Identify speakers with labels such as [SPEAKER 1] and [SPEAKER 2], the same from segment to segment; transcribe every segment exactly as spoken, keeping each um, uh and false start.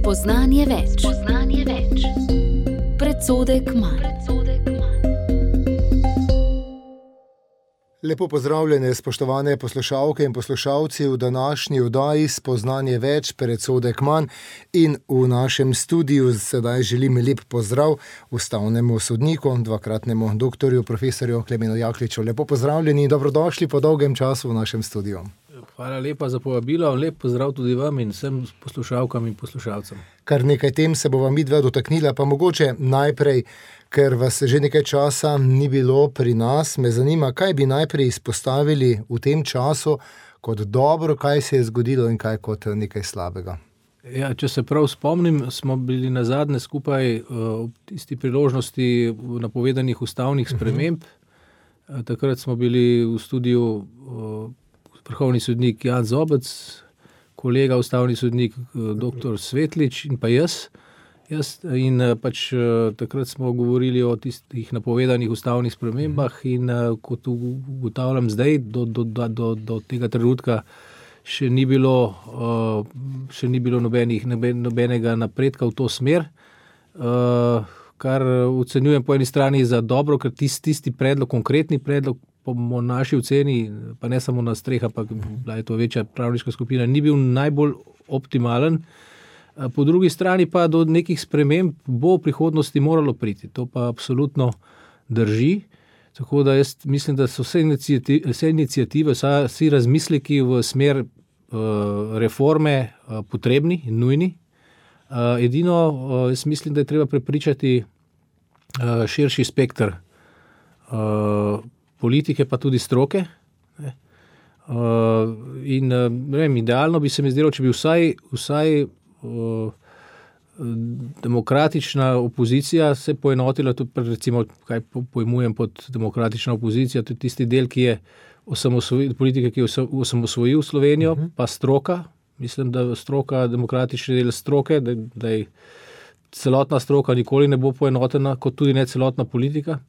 [SPEAKER 1] Spoznanje več. Spoznanje več. Predsodek manj.
[SPEAKER 2] Lepo pozdravljene, spoštovane poslušalke in poslušalci v današnji oddaji Spoznanje več, predsodek manj, in v našem studiu sedaj želim lep pozdrav ustavnemu sodniku, dvakratnemu doktorju, profesorju Klemenu Jakliču. Lepo pozdravljeni in dobrodošli po dolgem času v našem studiu.
[SPEAKER 3] Hvala lepa za povabilo, lep pozdrav tudi vam in vsem poslušalkam in poslušalcem.
[SPEAKER 2] Kar nekaj tem se bova midva dotaknila, pa mogoče najprej, ker vas že nekaj časa ni bilo pri nas, me zanima, kaj bi najprej izpostavili v tem času kot dobro, kaj se je zgodilo in kaj kot nekaj slabega.
[SPEAKER 3] Ja, če se prav spomnim, smo bili nazadnje skupaj ob tisti priložnosti napovedanih ustavnih sprememb. Uh-huh. Takrat smo bili v studiu vrhovni sodnik Jan Zobec, kolega ustavni sodnik doktor Svetlič in pa jaz. jaz in pač takrat smo govorili o tistih napovedanih ustavnih spremembah in kot ugotavljam zdaj, do, do, do, do tega trenutka še ni bilo, še ni bilo nobenih, nobenega napredka v to smer, kar ocenjujem po eni strani za dobro, ker tisti, tisti predlog, konkretni predlog, po naši oceni, pa ne samo na streh, ampak bila je to večja pravniška skupina, ni bil najbolj optimalen. Po drugi strani pa do nekih sprememb bo v prihodnosti moralo priti. To pa absolutno drži. Tako da jaz mislim, da so vse iniciative, vse iniciative, vsi razmisleki v smer uh, reforme uh, potrebni in nujni. Uh, edino, uh, jaz mislim, da je treba prepričati uh, širši spektr uh, politike, pa tudi stroke. Uh, in uh, ne vem, idealno bi se mi zdelo, če bi vsaj, vsaj uh, demokratična opozicija se poenotila, tudi recimo, kaj pojmujem pod demokratična opozicija, tudi tisti del, ki je osamosvojil, politike, ki je osamosvojil Slovenijo, uh-huh. pa stroka. Mislim, da stroka, demokratični del stroke, da, da je celotna stroka nikoli ne bo poenotena, kot tudi ne celotna politika.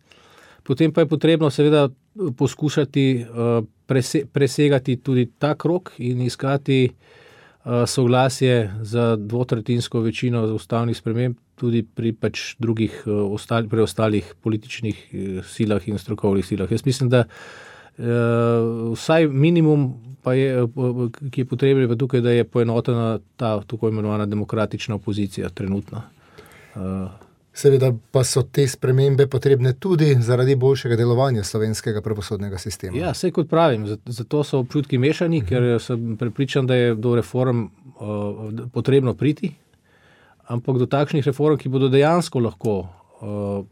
[SPEAKER 3] Potem pa je potrebno seveda poskušati uh, prese, presegati tudi ta krog in iskati uh, soglasje za dvotretjinsko večino ustavnih sprememb tudi pri pač drugih uh, ostali, preostalih političnih uh, silah in strokovnih silah. Jaz mislim, da uh, vsaj minimum, pa je, uh, ki je potrebno, pa tukaj, da je poenotena ta tako imenovana demokratična opozicija trenutno. Uh,
[SPEAKER 2] Seveda pa so te spremembe potrebne tudi zaradi boljšega delovanja slovenskega pravosodnega sistema.
[SPEAKER 3] Ja, saj kot pravim, zato so občutki mešani, uh-huh. ker sem prepričan, da je do reform uh, potrebno priti, ampak do takšnih reform, ki bodo dejansko lahko uh,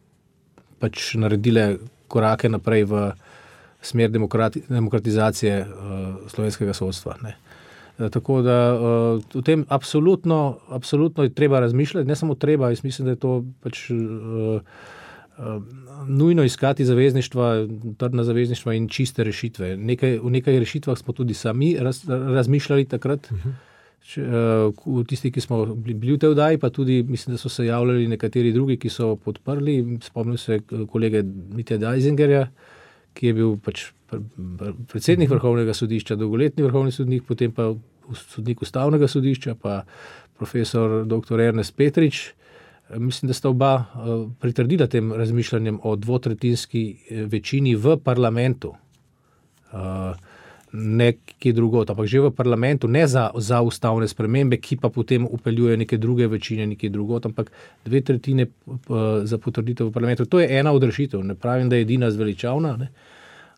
[SPEAKER 3] pač naredile korake naprej v smer demokrati, demokratizacije uh, slovenskega sodstva, ne. Tako da uh, o tem absolutno, absolutno je treba razmišljati, ne samo treba, jaz mislim, da je to pač uh, uh, nujno iskati zavezništva, trdna zavezništva in čiste rešitve. Nekaj, v nekaj rešitvah smo tudi sami raz, razmišljali takrat, uh-huh. Če, uh, tisti, ki smo bili v tej oddaji, pa tudi mislim, da so se javljali nekateri drugi, ki so podprli. Spomnim se kolege Mitja Dajzingerja, ki je bil pač predsednik vrhovnega sodišča, dolgoletni vrhovni sodnik, potem pa sodnik ustavnega sodišča, pa profesor doktor Ernest Petrič. Mislim, da sta oba pritrdila tem razmišljanjem o dvotretjinski večini v parlamentu. Ne kje drugot, ampak že v parlamentu, ne za, za ustavne spremembe, ki pa potem upeljuje neke druge večine, nekje drugot, ampak dve tretjine za potrditev v parlamentu. To je ena od rešitev. Ne pravim, da je edina zveličavna, ne?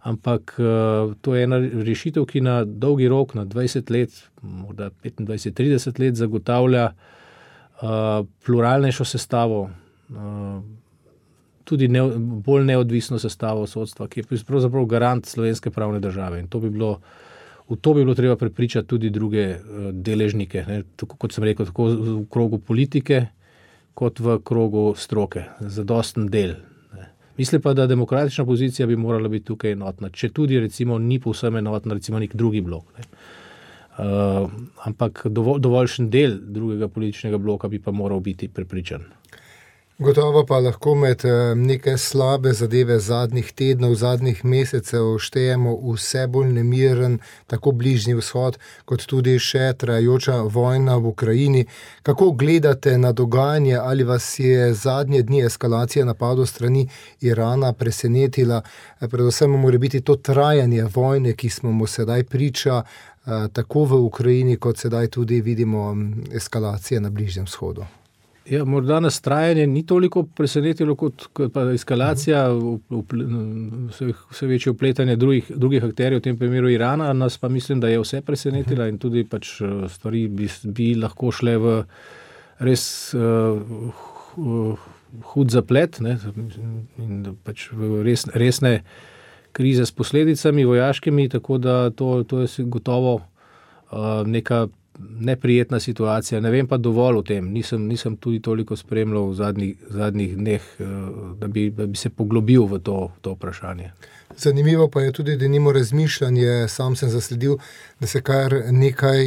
[SPEAKER 3] Ampak uh, to je ena rešitev, ki na dolgi rok, na dvajset let, morda petindvajset trideset let zagotavlja uh, pluralnejšo sestavo, uh, tudi ne, bolj neodvisno sestavo sodstva, ki je pravzaprav garant slovenske pravne države. In to bi bilo, v to bi bilo treba prepričati tudi druge uh, deležnike, ne? Tako, kot sem rekel, tako v krogu politike, kot v krogu stroke, zadosten del. Mislim pa, da demokratična pozicija bi morala biti tukaj enotna, če tudi recimo ni povsem enotna, recimo nek drugi blok. Ne. Uh, ampak dovolj, dovoljšen del drugega političnega bloka bi pa moral biti prepričan.
[SPEAKER 2] Gotovo pa lahko med neke slabe zadeve zadnjih tednov, zadnjih mesecev štejemo vse bolj nemiren, tako Bližnji vzhod, kot tudi še trajajoča vojna v Ukrajini. Kako gledate na dogajanje, ali vas je zadnje dni eskalacija napadov strani Irana presenetila, predvsem mora biti to trajanje vojne, ki smo mu sedaj priča, tako v Ukrajini, kot sedaj tudi vidimo eskalacije na Bližnjem vzhodu?
[SPEAKER 3] Ja, morda nas trajanje ni toliko presenetilo kot, kot pa eskalacija, vse, vse večje upletanje drugih, drugih akterjev, v tem primeru Irana, nas pa mislim, da je vse presenetila in tudi pač stvari bi, bi lahko šle v res uh, hud zaplet, ne, in pač v res, resne krize s posledicami vojaškimi, tako da to, to je gotovo uh, neka neprijetna situacija. Ne vem pa dovolj o tem. Nisem, nisem tudi toliko spremljal v zadnjih, zadnjih dneh, da bi, da bi se poglobil v to, to vprašanje.
[SPEAKER 2] Zanimivo pa je tudi, da nimo razmišljanje, sam sem zasledil, da se kar nekaj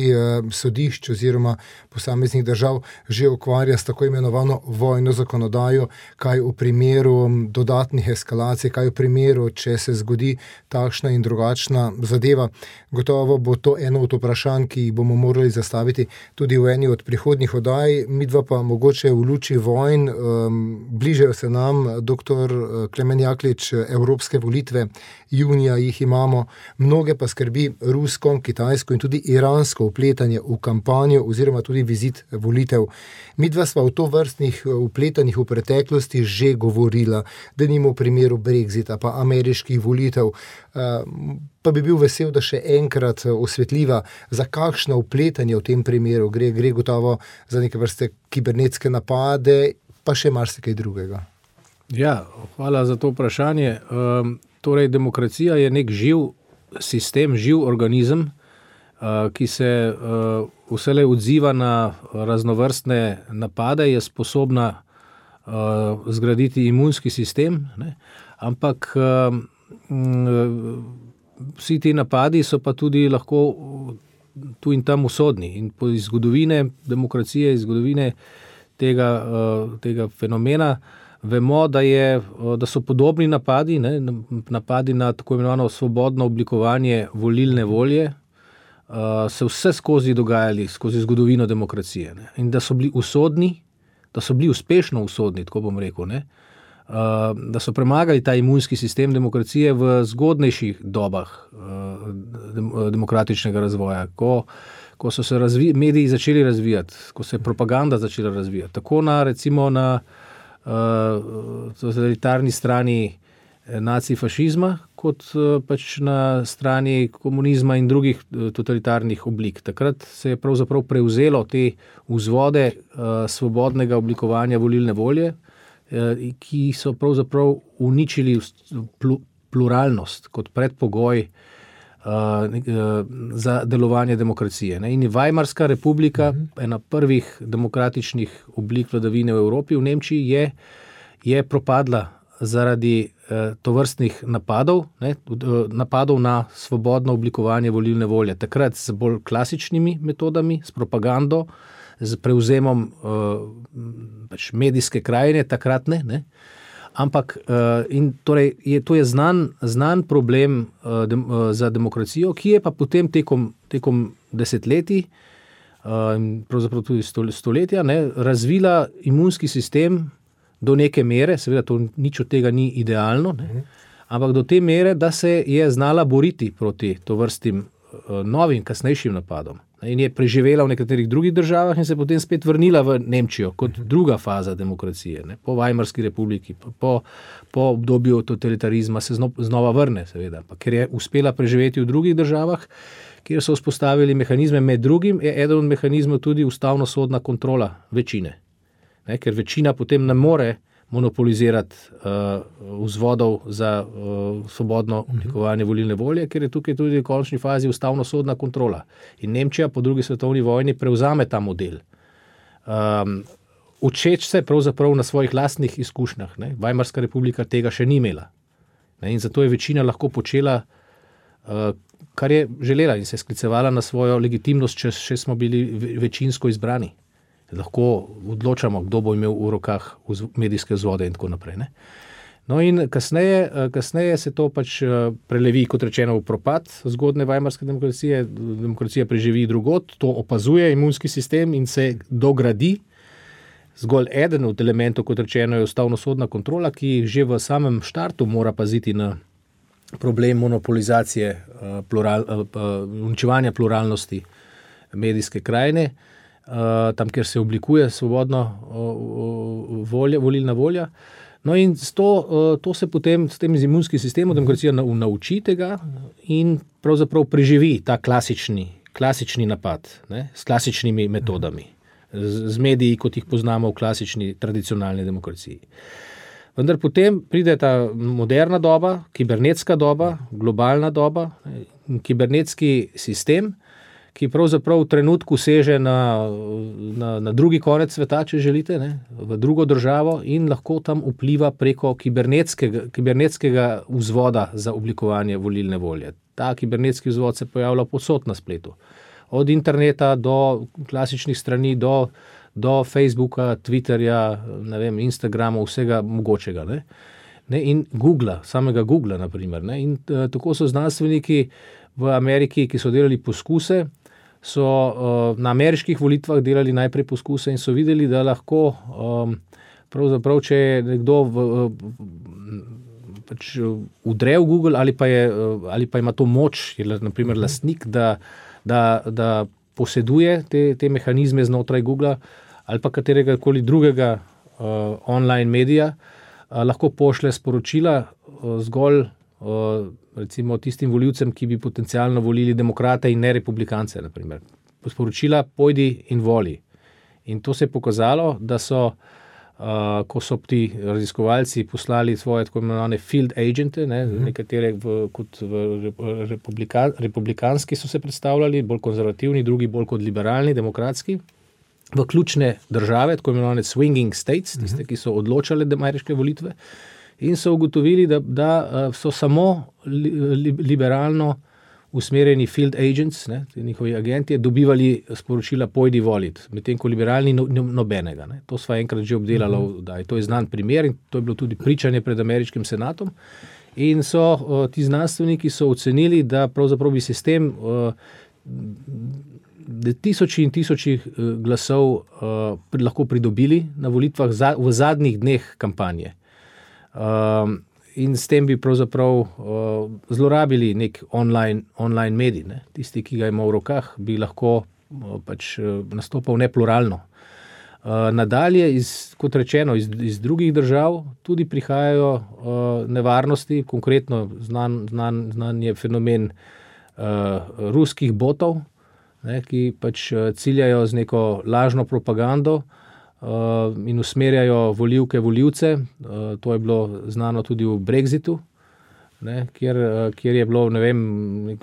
[SPEAKER 2] sodišč oziroma posameznih držav že ukvarja s tako imenovano vojno zakonodajo, kaj v primeru dodatnih eskalacij, kaj v primeru, če se zgodi takšna in drugačna zadeva. Gotovo bo to eno od vprašanj, ki jih bomo morali zastaviti tudi v eni od prihodnjih oddaj. Midva pa mogoče v luči vojn, um, bližajo se nam, doktor Klemen Jaklič, evropske volitve, junija jih imamo, mnoge pa skrbi rusko, kitajsko in tudi iransko vpletanje v kampanjo oziroma tudi vizit volitev. Midva sva v to vrstnih vpletanjih v preteklosti že govorila, da nimo v primeru Brexita pa ameriških volitev, pa bi bil vesel, da še enkrat osvetljiva, za kakšno vpletanje v tem primeru gre, gre gotovo za neke vrste kibernetske napade, pa še marsikaj drugega.
[SPEAKER 3] Ja, hvala za to vprašanje. Um, torej, demokracija je nek živ sistem, živ organizem, uh, ki se uh, vselej odziva na raznovrstne napade, je sposobna uh, zgraditi imunski sistem, ne? Ampak uh, vsi ti napadi so pa tudi lahko tu in tam usodni. In po iz zgodovine demokracije, iz zgodovine tega, uh, tega fenomena vemo, da, je, da so podobni napadi, ne, napadi na tako imenovano svobodno oblikovanje volilne volje, uh, se vse skozi dogajali, skozi zgodovino demokracije. Ne, in da so bili usodni, da so bili uspešno usodni, tako bom rekel, ne, uh, da so premagali ta imunski sistem demokracije v zgodnejših dobah uh, dem, demokratičnega razvoja, ko, ko so se razvi, mediji začeli razvijati, ko se je propaganda začela razvijati, tako na, recimo na Uh, totalitarni strani nacifašizma, kot uh, pač na strani komunizma in drugih uh, totalitarnih oblik. Takrat se je pravzaprav prevzelo te vzvode uh, svobodnega oblikovanja volilne volje, uh, ki so pravzaprav uničili pl- pluralnost kot predpogoj Uh, za delovanje demokracije. Ne? In Weimarska republika, uh-huh. ena prvih demokratičnih oblik vladavine v Evropi, v Nemčiji, je, je propadla zaradi uh, tovrstnih napadov, ne? napadov na svobodno oblikovanje volilne volje. Takrat s bolj klasičnimi metodami, s propagando, z prevzemom uh, pač medijske krajine, takratne, ne? Ampak uh, in torej je, to je znan, znan problem uh, dem, uh, za demokracijo, ki je pa potem tekom, tekom desetletij, uh, pravzaprav tudi stoletja, ne, razvila imunski sistem do neke mere, seveda to nič od tega ni idealno, ne, ampak do te mere, da se je znala boriti proti tovrstim uh, novim, kasnejšim napadom. In je preživela v nekaterih drugih državah in se potem spet vrnila v Nemčijo kot druga faza demokracije. Ne? Po Weimarski republiki, po, po obdobju totalitarizma se znova vrne, seveda. Pa ker je uspela preživeti v drugih državah, kjer so vzpostavili mehanizme, med drugim je eden od mehanizmov tudi ustavno-sodna kontrola večine. Ne? Ker večina potem ne more monopolizirati uh, vzvodov za uh, svobodno oblikovanje volilne volje, ker je tukaj tudi v končni fazi ustavno-sodna kontrola. In Nemčija po drugi svetovni vojni prevzame ta model. Um, učeč se pravzaprav na svojih lastnih izkušnjah. Ne? Weimarska republika tega še ni imela. Ne? In zato je večina lahko počela, uh, kar je želela in se sklicevala na svojo legitimnost, če še smo bili večinsko izbrani. lahko odločamo, kdo bo imel v rokah medijske vzvode in tako naprej. Ne? No in kasneje, kasneje se to pač prelevi, kot rečeno, v propad zgodne vajmarske demokracije, demokracija preživi drugod, to opazuje imunski sistem in se dogradi. Zgolj eden od elementov, kot rečeno, je ustavnosodna kontrola, ki že v samem štartu mora paziti na problem monopolizacije, plural, uničevanja pluralnosti medijske krajine, tam, kjer se oblikuje svobodno volja, volilna volja. No in to, to se potem s tem imunskim sistemom demokracija nauči tega in pravzaprav preživi ta klasični, klasični napad, ne, s klasičnimi metodami, z, z mediji, kot jih poznamo v klasični tradicionalni demokraciji. Vendar potem pride ta moderna doba, kibernetska doba, globalna doba, kibernetski sistem, ki pravzaprav v trenutku seže na, na, na drugi konec sveta, če želite, ne, v drugo državo in lahko tam vpliva preko kibernetskega, kibernetskega vzvoda za oblikovanje volilne volje. Ta kibernetski vzvod se pojavlja povsod na spletu. Od interneta do klasičnih strani, do, do Facebooka, Twitterja, ne vem, Instagrama, vsega mogočega. Ne. Ne, in Googla, samega Googla, na primer. Ne. In uh, tako so znanstveniki v Ameriki, ki so delali poskuse, so uh, na ameriških volitvah delali najprej poskuse in so videli, da lahko um, pravzaprav, če je nekdo v, uh, pač udre v Google ali pa, je, uh, ali pa ima to moč, je na primer lastnik, da, da, da poseduje te, te mehanizme znotraj Googla ali pa katerega koli drugega uh, online medija, uh, lahko pošle sporočila uh, zgolj uh, recimo tistim volivcem, ki bi potencialno volili demokrate in ne republikance, na primer. Sporočila pojdi in voli. In to se je pokazalo, da so, uh, ko so ti raziskovalci poslali svoje tako imenovane field agente, ne, mm. nekatere v, kot v republika, republikanski so se predstavljali, bolj konzervativni, drugi bolj kot liberalni, demokratski, v ključne države, tako imenovane swinging states, tiste, ki so odločale ameriške volitve, in so ugotovili, da, da so samo li, li, liberalno usmerjeni field agents, ne, njihovi agenti, dobivali sporočila pojdi voliti, medtem ko liberalni no, nobenega. Ne. To sva enkrat že obdelala, mm-hmm. da je to je znan primer in to je bilo tudi pričanje pred ameriškim senatom. In so uh, ti znanstveniki so ocenili, da pravzaprav bi se s tem uh, tisoči in tisoči uh, glasov uh, lahko pridobili na volitvah za, v zadnjih dneh kampanje. Um, in s tem bi pravzaprav uh, zlorabili nek online, online medij. Ne? Tisti, ki ga ima v rokah, bi lahko uh, pač uh, nastopal nepluralno. Uh, nadalje, iz, kot rečeno, iz, iz drugih držav tudi prihajajo uh, nevarnosti, konkretno znan, znan, znan je fenomen uh, ruskih botov, ne, ki pač uh, ciljajo z neko lažno propagando, Uh, in usmerjajo volivke, volivce. Uh, to je bilo znano tudi v Brexitu, ne, kjer, uh, kjer je bilo, ne vem,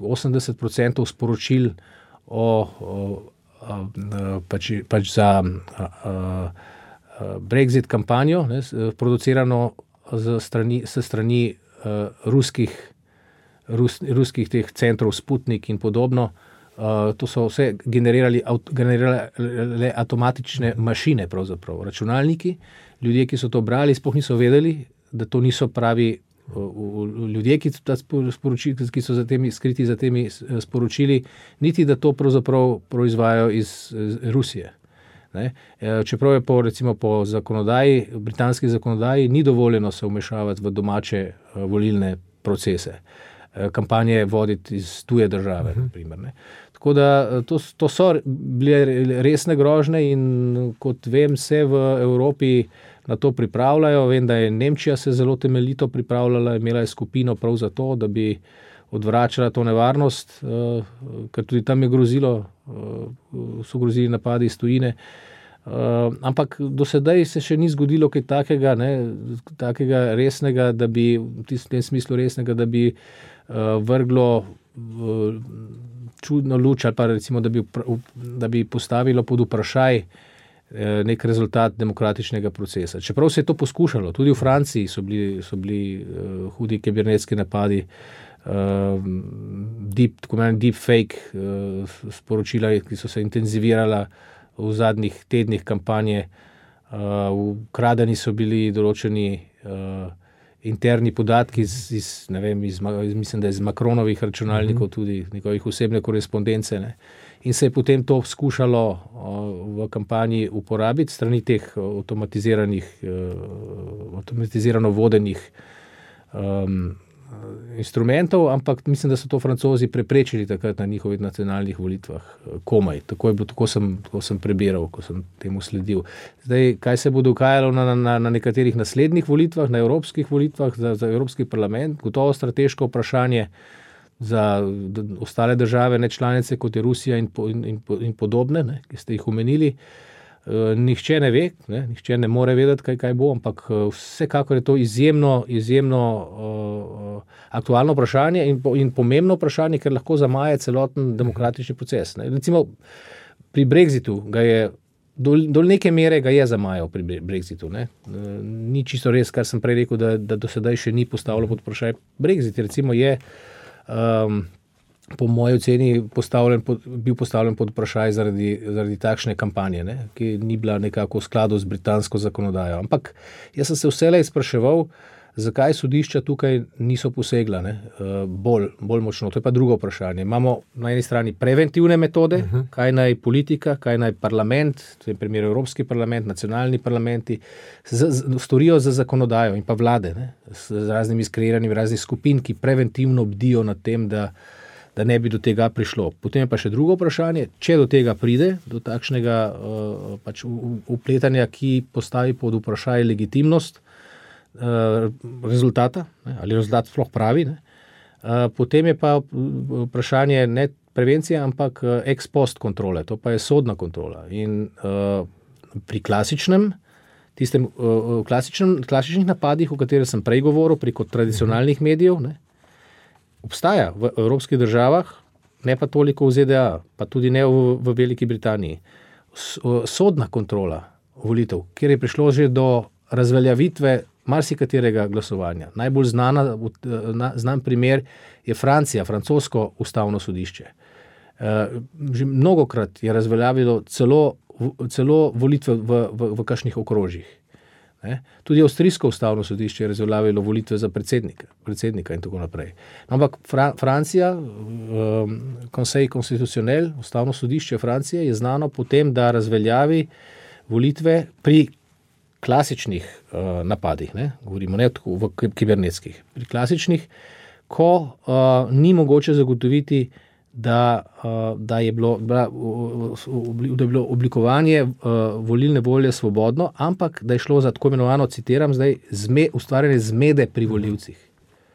[SPEAKER 3] osemdeset procentov sporočil o, o, o, pač, pač za a, a, a Brexit kampanjo, ne, producirano z strani, s strani uh, ruskih, rus, ruskih teh centrov Sputnik in podobno. Uh, to so vse generirali, aut, generirale avtomatične mašine, pravzaprav računalniki. Ljudje, ki so to brali, sploh niso vedeli, da to niso pravi uh, ljudje, ki, sporočili, ki so za temi, skriti za temi sporočili, niti da to pravzaprav proizvajajo iz, iz Rusije. Ne? Čeprav je po, recimo, po zakonodaji, britanski zakonodaji, ni dovoljeno se vmešavati v domače uh, volilne procese. Kampanje voditi iz tuje države, uh-huh. na primer. Ne. Tako da to, to so bile resne grožnje in kot vem, se v Evropi na to pripravljajo. Vem, da je Nemčija se zelo temeljito pripravljala, imela je skupino prav za to, da bi odvračala to nevarnost, uh, ker tudi tam je grozilo, uh, so grozili napadi iz tujine. Uh, ampak do sedaj se še ni zgodilo kaj takega, ne, takega resnega, da bi, v tem smislu resnega, da bi uh, vrglo uh, čudno luč ali pa recimo, da bi, da bi postavilo pod vprašaj uh, nek rezultat demokratičnega procesa. Čeprav se je to poskušalo, tudi v Franciji so bili, so bili uh, hudi kibernetski napadi, uh, deep, tako imenovani deep fake uh, sporočila, ki so se intenzivirala v zadnjih tednih kampanje. Ukradeni so bili določeni interni podatki iz, iz, ne vem, iz, mislim, da iz Macronovih računalnikov, tudi njegovih osebne korespondence, ne. In se je potem to skušalo v kampanji uporabiti strani teh avtomatiziranih, avtomatizirano vodenih um, instrumentov, ampak mislim, da so to Francozi preprečili takrat na njihovih nacionalnih volitvah komaj. Tako je bilo, tako sem, tako sem prebiral, ko sem temu sledil. Zdaj, kaj se bo dogajalo na, na, na nekaterih naslednjih volitvah, na evropskih volitvah za, za Evropski parlament, gotovo strateško vprašanje za ostale države, ne članice, kot je Rusija in, in, in, in podobne, ne, ki ste jih omenili. Uh, nihče ne ve, ne, nihče ne more vedeti, kaj, kaj bo, ampak uh, vsekakor je to izjemno, izjemno uh, aktualno vprašanje in, in pomembno vprašanje, ker lahko zamaje celoten demokratični proces. Ne. Recimo pri Brexitu ga je, do, do neke mere ga je zamajal pri Brexitu. Ne. Uh, ni čisto res, kar sem prej rekel, da, da do sedaj še ni postavilo pod vprašaj. Brexit recimo je um, po moji oceni postavljen pod, bil postavljen pod vprašaj zaradi, zaradi takšne kampanje, ne, ki ni bila nekako v skladu z britansko zakonodajo. Ampak jaz sem se vselej spraševal, zakaj sodišča tukaj niso posegla, ne, bolj, bolj močno. To je pa drugo vprašanje. Imamo na eni strani preventivne metode, uh-huh. kaj naj politika, kaj naj parlament, v tem primeru Evropski parlament, nacionalni parlamenti, z, z, storijo za zakonodajo in pa vlade, ne, z raznimi skreiranimi raznih skupin, ki preventivno bdijo nad tem, da da ne bi do tega prišlo. Potem je pa še drugo vprašanje, če do tega pride, do takšnega uh, pač upletanja, ki postavi pod vprašaj legitimnost uh, rezultata, ne, ali rezultat sploh pravi, ne, uh, potem je pa vprašanje ne prevencije, ampak ex post kontrole, to pa je sodna kontrola. In uh, pri klasičnem, tistem uh, klasičnem, klasičnih napadih, o katerih sem prej govoril, preko tradicionalnih medijev, ne, obstaja v evropskih državah, ne pa toliko v Z D A, pa tudi ne v, v Veliki Britaniji. Sodna kontrola volitev, kjer je prišlo že do razveljavitve marsikaterega glasovanja. Najbolj znana, znan primer je Francija, francosko ustavno sodišče. Že mnogokrat je razveljavilo celo, celo volitve v, v, v kakšnih okrožjih. Ne? Tudi avstrijsko ustavno sodišče je razveljavilo volitve za predsednika, predsednika in tako naprej. Ampak Fra, Francija, um, Conseil constitutionnel, ustavno sodišče Francije, je znano potem, da razveljavi volitve pri klasičnih uh, napadih, ne? Govorimo ne v kibernetskih, pri klasičnih, ko uh, ni mogoče zagotoviti, da, uh, da, je bilo, da, da je bilo oblikovanje uh, volilne volje svobodno, ampak da je šlo za tako imenovano, citiram zdaj, zme, ustvarjanje zmede pri volivcih.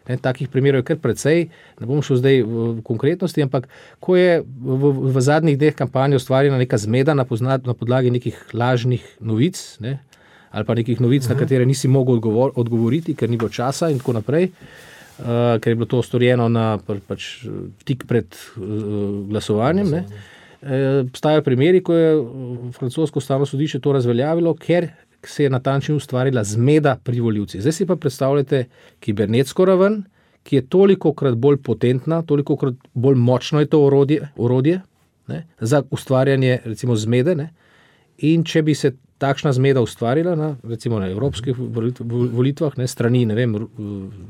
[SPEAKER 3] Ne, takih primerov je kar precej, ne bom šel zdaj v, v konkretnosti, ampak ko je v, v zadnjih dneh kampanje ustvarjena neka zmeda na, pozna, na podlagi nekih lažnih novic, ne, ali pa nekih novic, uh-huh. na katere nisi mogel odgovor, odgovoriti, ker ni bilo časa in tako naprej, Uh, ker je bilo to storjeno na, pač, tik pred uh, glasovanjem. Ne. E, obstajajo primeri, ko je francosko ustavno sodišče to razveljavilo, ker se je natančno ustvarila zmeda pri volivcih. Zdaj si pa predstavljate kibernetsko raven, ki je tolikokrat bolj potentna, tolikokrat bolj močno je to orodje, orodje ne, za ustvarjanje recimo zmede. Ne. In če bi se takšna zmeda ustvarila na, recimo na evropskih volitvah, ne, strani, ne vem,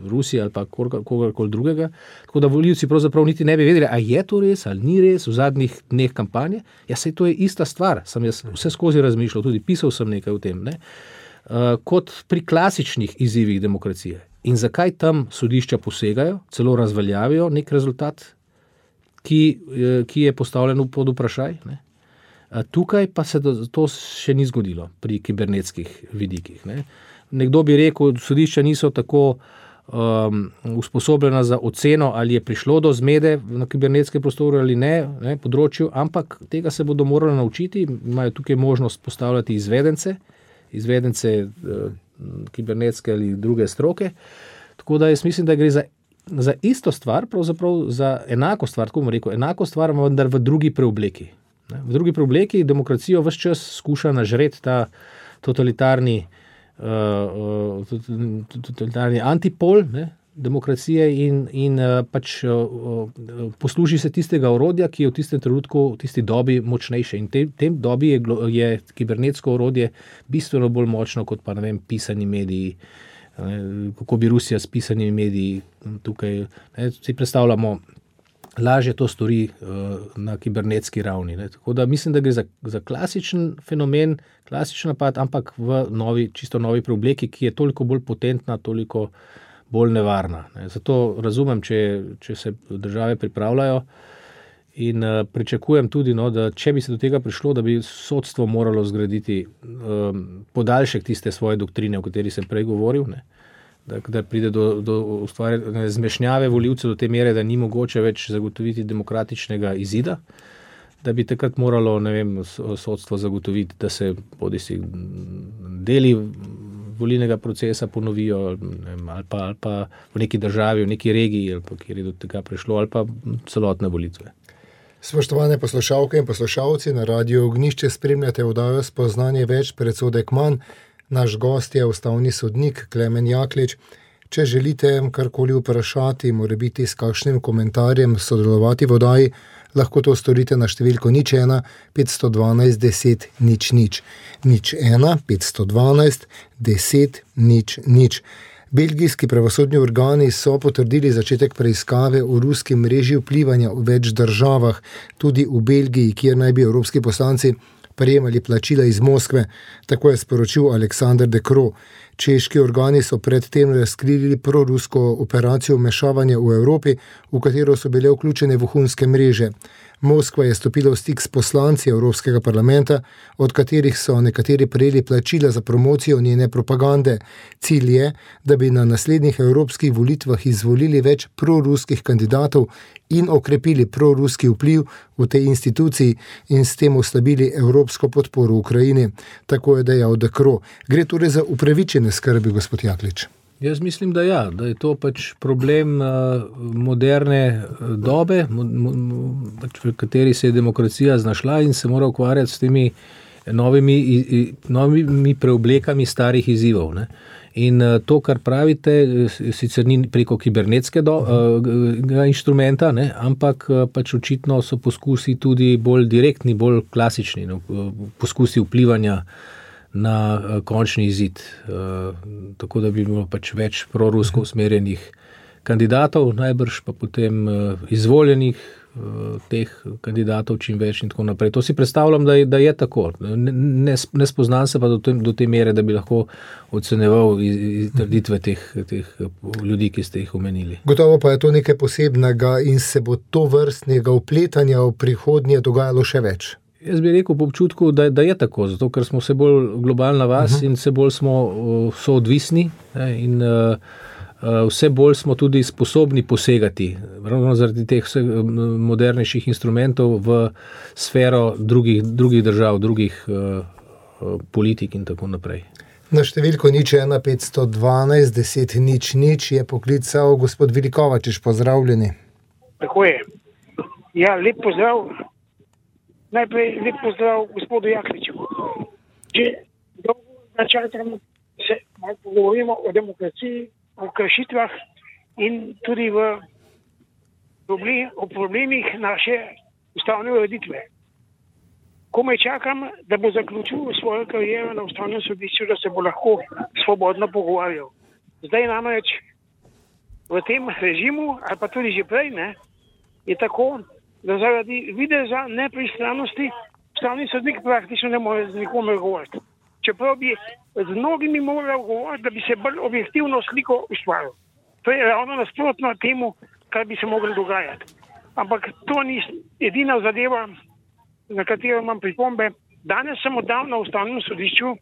[SPEAKER 3] Rusije ali pa kogarkoli drugega, tako da volivci pravzaprav niti ne bi vedeli, a je to res ali ni res v zadnjih dneh kampanje. Ja, saj to je ista stvar, sem jaz vse skozi razmišljal, tudi pisal sem nekaj o tem, ne, uh, kot pri klasičnih izzivih demokracije. In zakaj tam sodišča posegajo, celo razveljavijo nek rezultat, ki, ki je postavljen pod vprašaj, ne. Tukaj pa se to še ni zgodilo pri kibernetskih vidikih. Ne. Nekdo bi rekel, da sodišča niso tako um, usposobljena za oceno, ali je prišlo do zmede na kibernetskem prostoru ali ne, ne področju, ampak tega se bodo morali naučiti. Imajo tukaj možnost postavljati izvedence, izvedence uh, kibernetske ali druge stroke. Tako da jaz mislim, da gre za, za isto stvar, pravzaprav za enako stvar, tako bom rekel, enako stvar, vendar v drugi preobleki. V drugi preobleki demokracijo ves čas skuša nažreti ta totalitarni, uh, totalitarni antipol, ne, demokracije in, in pač posluži se tistega orodja, ki je v tistem trenutku, v tisti dobi močnejše. In v tem dobi je, je kibernetsko orodje bistveno bolj močno kot pa, ne vem, pisani mediji. Kako bi Rusija s pisanimi mediji tukaj, ne, si predstavljamo, lažje to stori uh, na kibernetski ravni. Ne. Tako da mislim, da gre za, za klasičen fenomen, klasičen napad, ampak v novi, čisto novi preobleki, ki je toliko bolj potentna, toliko bolj nevarna. Ne. Zato razumem, če, če se države pripravljajo in uh, pričakujem tudi, no, da če bi se do tega prišlo, da bi sodstvo moralo zgraditi um, podaljšek tiste svoje doktrine, o kateri sem prej govoril, ne. Da, da pride do, do ustvarjanja zmešnjave volivcev do te mere, da ni mogoče več zagotoviti demokratičnega izida, da bi takrat moralo, ne vem, sodstvo zagotoviti, da se bodisi deli volilnega procesa ponovijo, ne vem, ali, pa, ali pa v neki državi, v neki regiji, ali pa kjer je do tega prišlo, ali pa celotne volitve.
[SPEAKER 2] Spoštovane poslušalke in poslušalci, na Radiu Ognjišče spremljate oddajo Spoznanje več, predsodek manj. Naš gost je ustavni sodnik Klemen Jaklič. Če želite karkoli vprašati, morebiti s kakšnim komentarjem sodelovati v oddaji, lahko to storite na številko nič ena petsto dvanajst deset nič nič. nič ena petsto dvanajst deset nič nič. Belgijski pravosodni organi so potrdili začetek preiskave o ruski mreži vplivanja v več državah, tudi v Belgiji, kjer naj bi evropski poslanci prejemali plačila iz Moskve, tako je sporočil Aleksander De Croo. Češki organi so predtem razkrili prorusko operacijo vmešavanja v Evropi, v katero so bile vključene vohunske mreže. Moskva je stopila v stik s poslanci Evropskega parlamenta, od katerih so nekateri prejeli plačila za promocijo njene propagande. Cilj je, da bi na naslednjih evropskih volitvah izvolili več proruskih kandidatov in okrepili proruski vpliv v tej instituciji in s tem oslabili evropsko podporo Ukrajini. Tako je dejal De Croo. Gre torej za upravičene skrbi, gospod Jaklič?
[SPEAKER 3] Jaz mislim, da ja, da je to pač problem uh, moderne dobe, mo, mo, pač v kateri se je demokracija znašla in se mora ukvarjati s temi novimi, i, novimi preoblekami starih izzivov. Ne. In uh, to, kar pravite, sicer ni preko kibernetskega uh, inštrumenta, ne, ampak uh, pač očitno so poskusi tudi bolj direktni, bolj klasični, no, poskusi vplivanja na uh, končni izid. Uh, tako da bi bilo pač več prorusko usmerjenih kandidatov, najbrž pa potem uh, izvoljenih uh, teh kandidatov čim več in tako naprej. To si predstavljam, da je, da je tako. Ne, ne, ne spoznam se pa do te, do te mere, da bi lahko oceneval iz, iz trditve teh, teh ljudi, ki ste jih omenili.
[SPEAKER 2] Gotovo pa je to nekaj posebnega in se bo to vrstnega vpletanja v prihodnje dogajalo še več.
[SPEAKER 3] Jaz bi rekel po občutku, da, da je tako, zato ker smo vse bolj globalna vas uh-huh. in vse bolj smo uh, soodvisni in uh, uh, vse bolj smo tudi sposobni posegati, ravno zaradi teh vse modernejših instrumentov v sfero drugih, drugih držav, drugih uh, uh, politik in tako naprej.
[SPEAKER 2] Na številko nič ena petsto dvanajst deset nič nič je poklical gospod Vilikovačič. Pozdravljeni.
[SPEAKER 4] Tako je. Ja, lep pozdrav. Najprej lep pozdrav gospodu Jakliču. Že dolgo načakamo se malo pogovorimo o demokraciji, o kršitvah in tudi v problem, o problemih naše ustavne ureditve. Komaj čakam, da bo zaključil svojo kariero na ustavnem sodišču, da se bo lahko svobodno pogovarjal. Zdaj namreč v tem režimu, ali pa tudi že prej, ne, je tako, da zaradi videza nepristranosti ustavni sodnik praktično ne more z nikomer govoriti. Čeprav bi z mnogimi moral govoriti, da bi se bolj objektivno sliko ustvaril. To je ravno nasprotno temu, kar bi se moglo dogajati. Ampak to ni edina zadeva, na katero imam pripombe. Danes sem oddal na ustavnem sodišču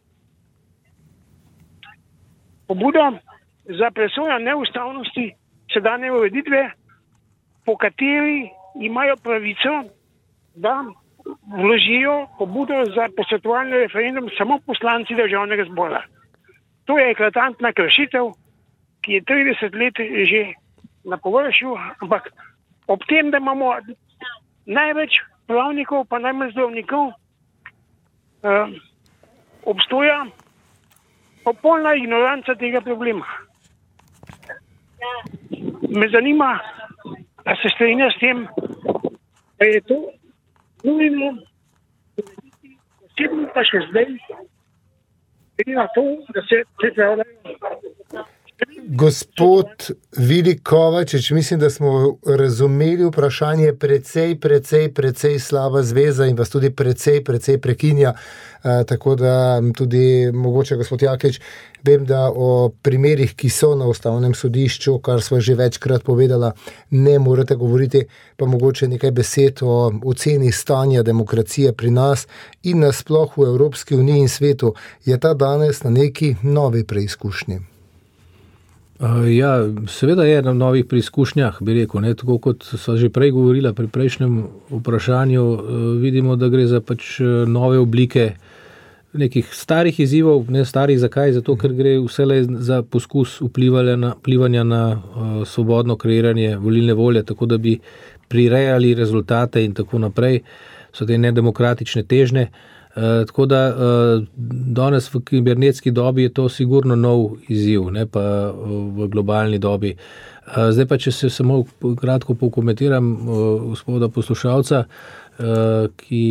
[SPEAKER 4] pobudo za presojo neustavnosti sedanje ureditve, po kateri imajo pravico, da vložijo pobudo za posvetovalni referendum samo poslanci državnega zbora. To je eklatantna kršitev, ki je trideset let že na površju, ampak ob tem, da imamo največ pravnikov, pa najmanj zdravnikov, eh, obstoja popolna ignoranca tega problema. me zanima, da se strinja s tem, da je to nujno, posebno pa še zdaj, glede na to, da se pripravljajo.
[SPEAKER 2] Gospod Vili Kovačič, mislim, da smo razumeli vprašanje. Precej, precej, precej slaba zveza in vas tudi precej, precej prekinja. E, tako da tudi mogoče, gospod Jaklič, vem, da o primerih, ki so na Ustavnem sodišču, kar sva že večkrat povedala, ne morete govoriti, pa mogoče nekaj besed o oceni stanja demokracije pri nas in nasploh v Evropski uniji in svetu. Je ta danes na neki novi preizkušnji?
[SPEAKER 3] Uh, ja, seveda je na novih preizkušnjah, bi rekel, ne, tako kot so že prej govorila pri prejšnjem vprašanju, uh, vidimo, da gre za pač nove oblike nekih starih izzivov, ne starih zakaj, zato ker gre vselej za poskus vplivanja na, vplivanja na uh, svobodno kreiranje volilne volje, tako da bi prirejali rezultate in tako naprej, so te nedemokratične težnje. Uh, tako da uh, danes v kibernetski dobi je to sigurno nov izziv, ne pa uh, v globalni dobi. Uh, zdaj pa, če se samo kratko pokomentiram uh, gospoda poslušalca, uh, ki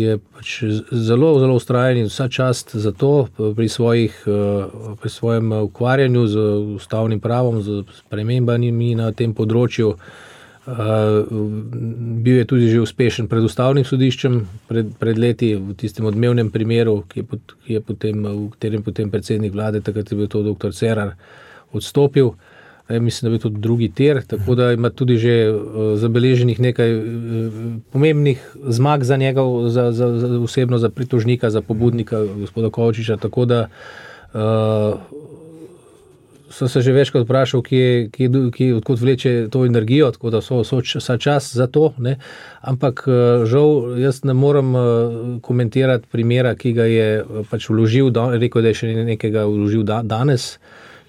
[SPEAKER 3] je pač zelo, zelo vztrajen in vsa čast za to pri, svojih, uh, pri svojem ukvarjanju z ustavnim pravom, z spremembami na tem področju. Uh, bil je tudi že uspešen pred Ustavnim sodiščem pred, pred leti v tistem odmevnem primeru, ki je, pot, ki je potem, v katerem potem predsednik vlade, takrat je bil to doktor Cerar, odstopil. E, mislim, da je bil to drugi tir, tako da ima tudi že uh, zabeleženih nekaj uh, pomembnih zmag za njega, za, za, za osebno, za pritožnika, za pobudnika gospoda Kovačiča, tako da uh, sem se že večkrat vprašal, kje, kje, kje, odkot vleče to energijo, tako da so vsa čas za to, ne. Ampak žal, jaz ne morem komentirati primera, ki ga je pač vložil, rekel, da je še nekega vložil danes,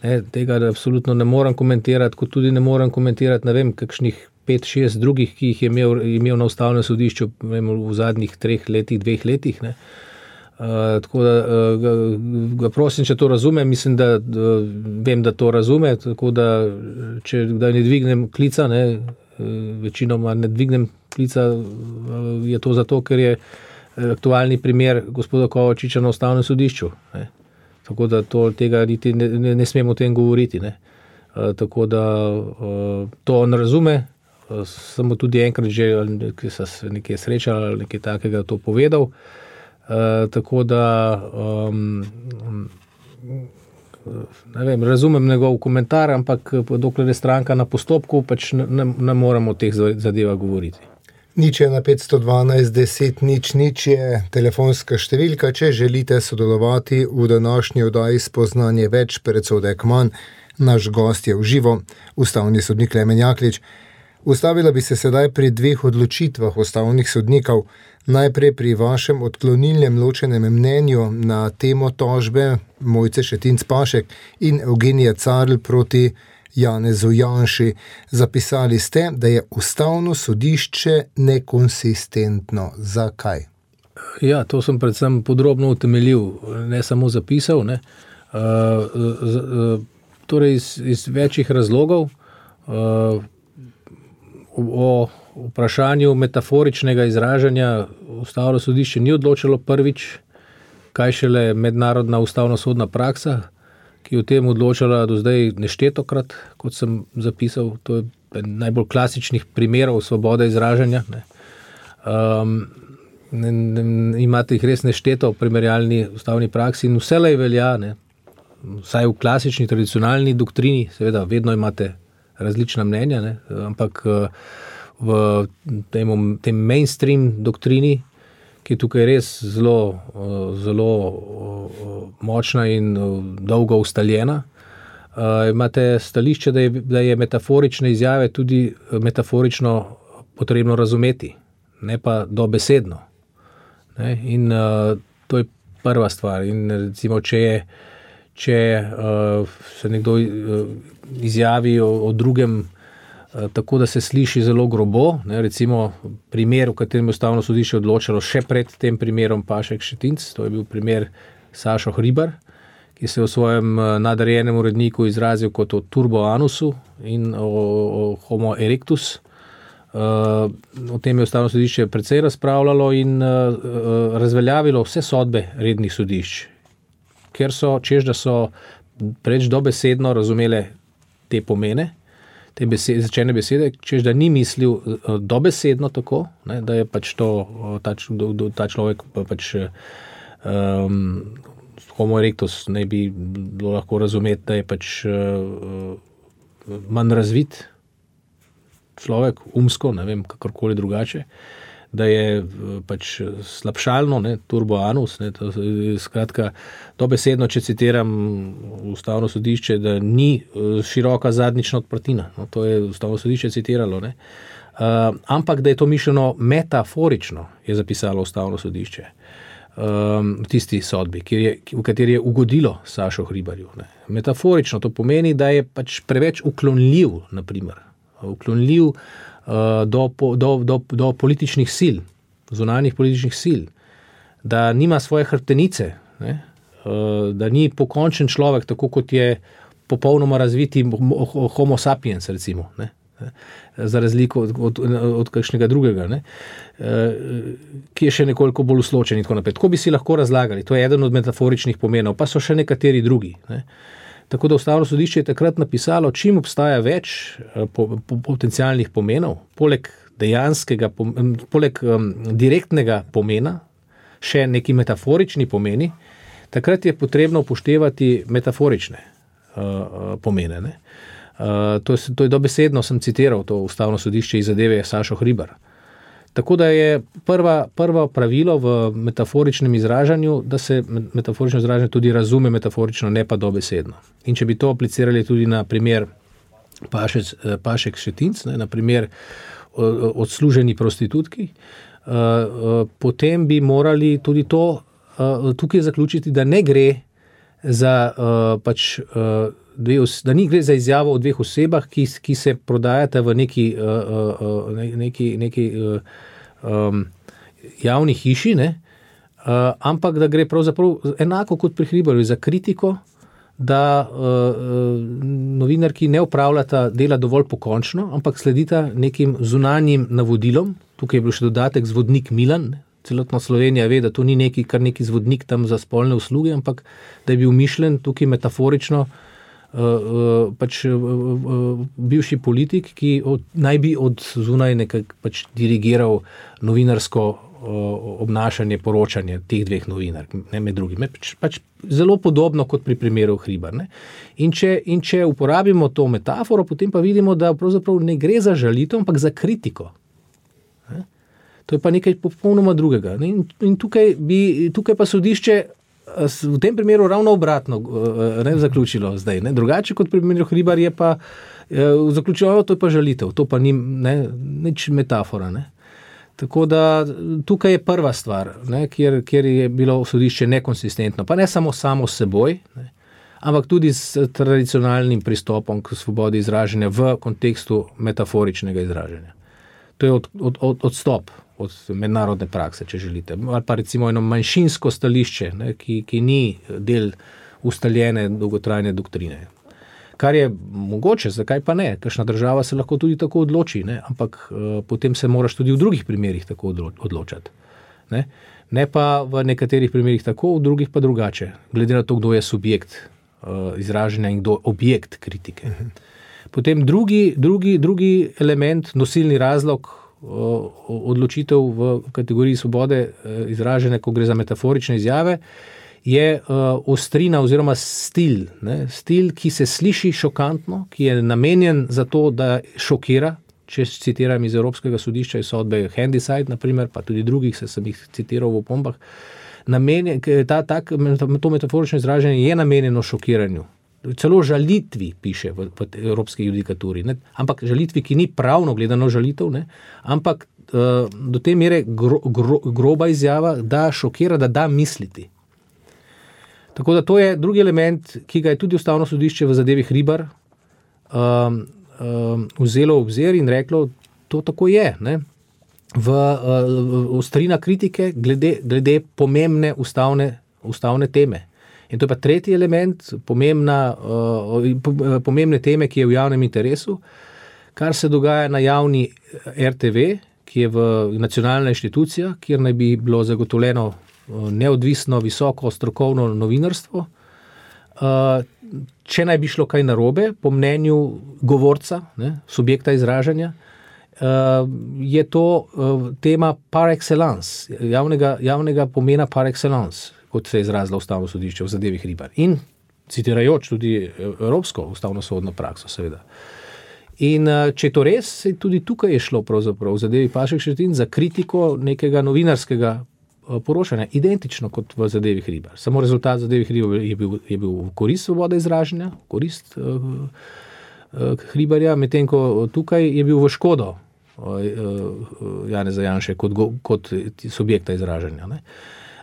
[SPEAKER 3] ne. Tega absolutno ne morem komentirati, kot tudi ne morem komentirati, ne vem, kakšnih pet, šest drugih, ki jih je imel, imel na Ustavnem sodišču vem, v zadnjih treh letih, dveh letih, ne. Uh, tako da uh, ga, ga prosim, če to razume, mislim, da uh, vem, da to razume, tako da če da ne dvignem klica, ne, uh, večinoma ne dvignem klica, uh, je to zato, ker je aktualni primer gospoda Kovačiča na Ustavnem sodišču, ne. Tako da to, tega niti ne, ne, ne smemo o tem govoriti, ne. Uh, tako da uh, to on razume, uh, samo tudi enkrat že nekaj srečal ali nekaj takega to povedal. Uh, tako da um, ne vem, razumem njegov komentar, ampak dokler je stranka na postopku, pač ne, ne, ne moramo o teh zadevah govoriti.
[SPEAKER 2] Nič je na petsto dvanajst deset nič nič je telefonska številka, če želite sodelovati v današnji oddaji Spoznanje več, predsodek manj. Naš gost je v živo, ustavni sodnik Klemen Jaklič. Ustavila bi se sedaj pri dveh odločitvah ustavnih sodnikov. Najprej pri vašem odklonilnem ločenem mnenju na temo tožbe Mojce Šetinc Pašek in Eugenija Carl proti Janezu Janši. Zapisali ste, da je Ustavno sodišče nekonsistentno. Zakaj?
[SPEAKER 3] Ja, to sem predvsem podrobno utemeljil, ne samo zapisal, ne. Uh, z, uh, torej iz, iz večjih razlogov. Uh, o vprašanju metaforičnega izražanja Ustavno sodišče ni odločilo prvič, kaj šele mednarodna ustavno-sodna praksa, ki je o tem odločala do zdaj neštetokrat, kot sem zapisal. To je najbolj klasičnih primerov svobode izražanja, ne. Um, ne, ne, imate jih res nešteto v primerjalni ustavni praksi in vselej velja, ne, vsaj v klasični, tradicionalni doktrini, seveda vedno imate različna mnenja, ne, ampak v tem, tem mainstream doktrini, ki je tukaj res zelo, zelo močna in dolgo ustaljena, imate stališče, da je, da je metaforične izjave tudi metaforično potrebno razumeti, ne pa dobesedno. Ne, in to je prva stvar. In recimo, če je če uh, se nekdo uh, izjavi o, o drugem uh, tako, da se sliši zelo grobo, ne, recimo primer, v katerem je Ustavno sodišče odločalo še pred tem primerom Pašek Šetinc, to je bil primer Sašo Hribar, ki se je v svojem nadrejenem uredniku izrazil kot o turbo anusu in o, o homo erectus. Uh, o tem je Ustavno sodišče precej razpravljalo in uh, uh, razveljavilo vse sodbe rednih sodišč, ker so, češ da so preč dobesedno razumele te pomene, te besede, začene besede, češ da ni mislil uh, dobesedno tako, ne, da je pač to, ta, ta človek pač um, homo erectus ne bi bilo lahko razumeti, da je pač uh, manj razvit človek, umsko, ne vem, kakorkoli drugače, da je pač slabšalno, ne, turbo anus, ne, to, skratka, dobesedno, če citiram Ustavno sodišče, da ni široka zadnjična odprtina, no, to je Ustavno sodišče citiralo, ne, uh, ampak da je to mišljeno metaforično, je zapisalo Ustavno sodišče um, v tisti sodbi, kjer je, v kateri je ugodilo Sašo Hribarju. Ne. Metaforično to pomeni, da je pač preveč uklonljiv, na primer, uklonljiv uh, do, do, do, do političnih sil, zunanjih političnih sil, da nima svoje hrbtenice, ne? Uh, da ni pokončen človek, tako kot je popolnoma razviti homo sapiens, recimo, ne? Za razliko od, od, od kakšnega drugega, ne? Uh, ki je še nekoliko bolj usločen in tako naprej. Tako bi si lahko razlagali, to je eden od metaforičnih pomenov, pa so še nekateri drugi, ne? Tako da Ustavno sodišče je takrat napisalo, čim obstaja več po, po, potencialnih pomenov, poleg dejanskega, poleg um, direktnega pomena, še neki metaforični pomeni, takrat je potrebno upoštevati metaforične uh, pomene. Ne? Uh, to, je, to je dobesedno, sem citiral to Ustavno sodišče iz zadeve Sašo Hribar. Tako da je prva, prvo pravilo v metaforičnem izražanju, da se metaforično izražanje tudi razume metaforično, ne pa dobesedno. In če bi to aplicirali tudi na primer Pašec, Pašek Šetinc, ne, na primer odsluženi prostitutki, uh, uh, potem bi morali tudi to uh, tukaj zaključiti, da ne gre za uh, pač uh, dve, da ni gre za izjavo o dveh osebah, ki, ki se prodajata v neki, uh, uh, neki, neki uh, um, javni hiši, ne? Uh, ampak da gre pravzaprav enako kot pri Hribarju za kritiko, da uh, uh, novinarki ne opravljata dela dovolj pokončno, ampak sledita nekim zunanjim navodilom. Tukaj je bil še dodatek zvodnik Milan, ne? Celotna Slovenija ve, da to ni neki, kar neki zvodnik tam za spolne usluge, ampak da je bil mišljen tukaj metaforično uh, uh, pač uh, uh, bivši politik, ki od, naj bi od zunaj nekako pač dirigiral novinarsko uh, obnašanje, poročanje teh dveh novinark, ne med drugim. Pač, pač zelo podobno kot pri primeru Hribar. Ne? In, če, in če uporabimo to metaforo, potem pa vidimo, da pravzaprav ne gre za žalitev, ampak za kritiko. To je pa nekaj popolnoma drugega. In, in tukaj, bi, tukaj pa sodišče v tem primeru ravno obratno ne, zaključilo zdaj. Ne. Drugače kot pri primeru Hribar je pa zaključilo, to je pa žalitev, to pa ni ne, nič metafora. Ne. Tako da tukaj je prva stvar, ne, kjer, kjer je bilo sodišče nekonsistentno, pa ne samo samo s seboj, ne, ampak tudi s tradicionalnim pristopom k svobodi izražanja v kontekstu metaforičnega izražanja. To je od, od, od, odstop od mednarodne prakse, če želite. Ali pa recimo eno manjšinsko stališče, ne, ki, ki ni del ustaljene dolgotrajne doktrine. Kar je mogoče, zakaj pa ne? Kakšna država se lahko tudi tako odloči, ne? Ampak uh, potem se moraš tudi v drugih primerih tako odločati. Ne? Ne pa v nekaterih primerih tako, v drugih pa drugače. Glede na to, kdo je subjekt uh, izražanja in kdo objekt kritike. Mhm. Potem drugi, drugi, drugi element, nosilni razlog odločitev v kategoriji svobode izražene, ko gre za metaforične izjave, je ostrina oziroma stil. Ne? Stil, ki se sliši šokantno, ki je namenjen za to, da šokira, če citiram iz Evropskega sodišča, iz sodbe Handyside, naprimer, pa tudi drugih, se sem jih citiral v opombah, namenjen, ta, tak, to metaforično izražanje je namenjeno šokiranju. Celo žalitvi piše v, v evropski judikaturi, ne? Ampak žalitvi, ki ni pravno gledano žalitev, ne? Ampak uh, do te mere gro, gro, groba izjava, da šokira, da da misliti. Tako da to je drugi element, ki ga je tudi Ustavno sodišče v zadevi Hribar um, um, vzelo v obzir in reklo, to tako je. Ne? V uh, ostrina kritike glede, glede pomembne ustavne, ustavne teme. In to je pa tretji element, pomembna, pomembne teme, ki je v javnem interesu, kar se dogaja na javni er te ve, ki je v nacionalna inštitucija, kjer naj bi bilo zagotovljeno neodvisno, visoko, strokovno novinarstvo. Če naj bi šlo kaj narobe, po mnenju govorca, ne, subjekta izražanja, je to tema par excellence, javnega, javnega pomena par excellence, kot se je izrazilo Ustavno sodišče v zadevi Hribar. In citirajoč tudi evropsko ustavno sodno prakso, seveda. In če je to res, tudi tukaj je šlo pravzaprav v zadevi Pašek Šetin za kritiko nekega novinarskega poročanja, identično kot v zadevi Hribar. Samo rezultat zadevi Hribar je bil, je bil v korist svobode izražanja, v korist uh, uh, Hribarja, medtem ko tukaj je bil v škodo uh, Janeza Janše kot, kot subjekta izražanja. Ne?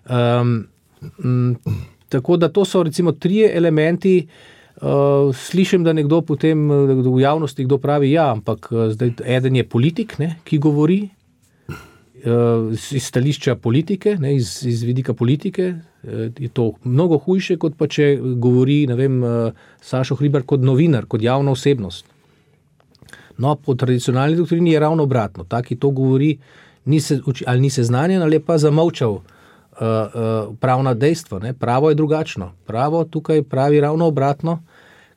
[SPEAKER 3] Um, m, tako da to so recimo trije elementi. Uh, slišim, da nekdo potem v javnosti kdo pravi, ja, ampak zdaj eden je politik, ne, ki govori uh, iz stališča politike, ne, iz, iz vidika politike, uh, je to mnogo hujše, kot pa če govori, ne vem, uh, Sašo Hribar kot novinar, kot javna osebnost. No, po tradicionalni doktrini je ravno obratno. Ta, ki to govori, ni se, ali ni seznanjen, ali pa zamolčal Uh, uh, pravna dejstva. Ne? Pravo je drugačno. Pravo tukaj pravi ravno obratno,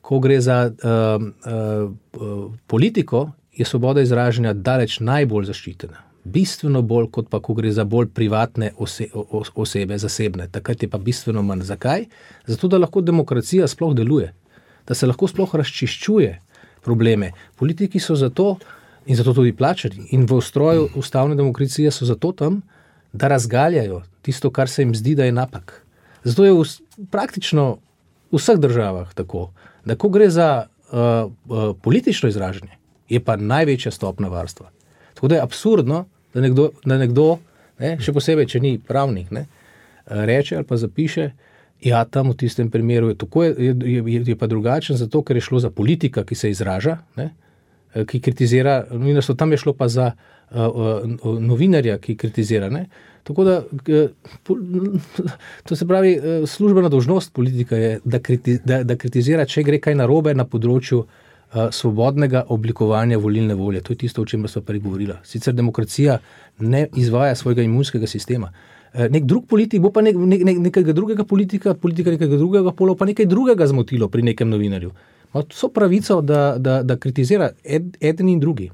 [SPEAKER 3] ko gre za uh, uh, uh, politiko, je svoboda izražanja daleč najbolj zaščitena. Bistveno bolj, kot pa ko gre za bolj privatne ose, o, osebe, zasebne. Takrat je pa bistveno manj. Zakaj? Zato, da lahko demokracija sploh deluje. Da se lahko sploh razčiščuje probleme. Politiki so zato in zato tudi plačani. In v ustroju ustavne demokracije so zato tam, da razgaljajo tisto, kar se jim zdi, da je napak. Zato je v, praktično v vseh državah tako, da ko gre za uh, uh, politično izražanje, je pa največja stopna varstva. Tako da je absurdno, da nekdo, da nekdo ne, še posebej, če ni pravnik, ne, reče ali pa zapiše, ja, tam v tistem primeru je, tako, je, je, je pa drugačen, zato ker je šlo za politika, ki se izraža, ne, ki kritizira novinarstvo, tam je šlo pa za uh, uh, novinarja, ki kritizira. Ne? Tako da, to se pravi, službena dolžnost politika je, da, kriti, da, da kritizira, če gre kaj narobe na področju uh, svobodnega oblikovanja volilne volje. To je tisto, o čemer sva prej govorila. Sicer demokracija ne izvaja svojega imunskega sistema. Uh, nek drug politik bo pa nek, nek, nek, nekega drugega politika, politika nekega drugega pola, pa nekaj drugega zmotilo pri nekem novinarju. So pravico, da, da, da kritizira ed, eden in drugi.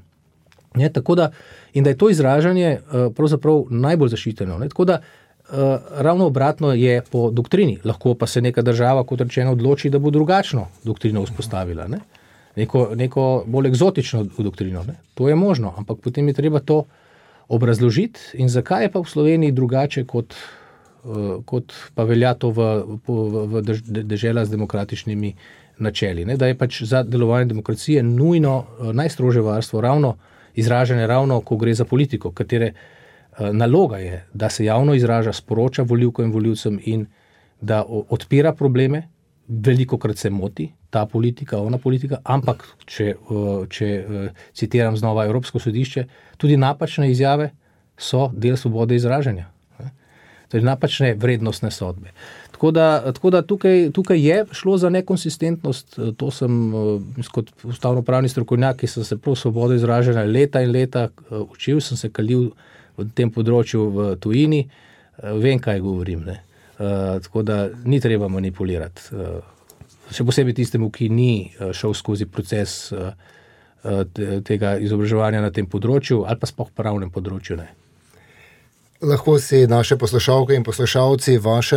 [SPEAKER 3] Ne, tako da, in da je to izražanje uh, pravzaprav najbolj zaščiteno. Ne, tako da, uh, ravno obratno je po doktrini. Lahko pa se neka država, kot rečeno, odloči, da bo drugačno doktrino vzpostavila. Ne, neko, neko bolj eksotično doktrino. Ne. To je možno, ampak potem je treba to obrazložiti. In zakaj je pa v Sloveniji drugače, kot, uh, kot pa velja to v, v, v dež, dežela z demokratičnimi načeli, ne, da je pač za delovanje demokracije nujno uh, najstrožje varstvo ravno izražanje ravno, ko gre za politiko, katere uh, naloga je, da se javno izraža, sporoča volivkam in volivcem in da o, odpira probleme, velikokrat se moti ta politika, ona politika, ampak, če, uh, če uh, citiram znova Evropsko sodišče, tudi napačne izjave so del svobode izražanja. Ne. Torej napačne vrednostne sodbe. Tako da, tako da tukaj, tukaj je šlo za nekonsistentnost, to sem kot ustavnopravni strokovnjak, ki sem se prav svobodo izražanja leta in leta učil, sem se kalil v tem področju v tujini, vem, kaj govorim. Ne. Tako da ni treba manipulirati. Še posebej tistemu, ki ni šel skozi proces tega izobraževanja na tem področju ali pa sploh pravnem področju. Ne.
[SPEAKER 2] Lahko si naše poslušalke in poslušalci vaše,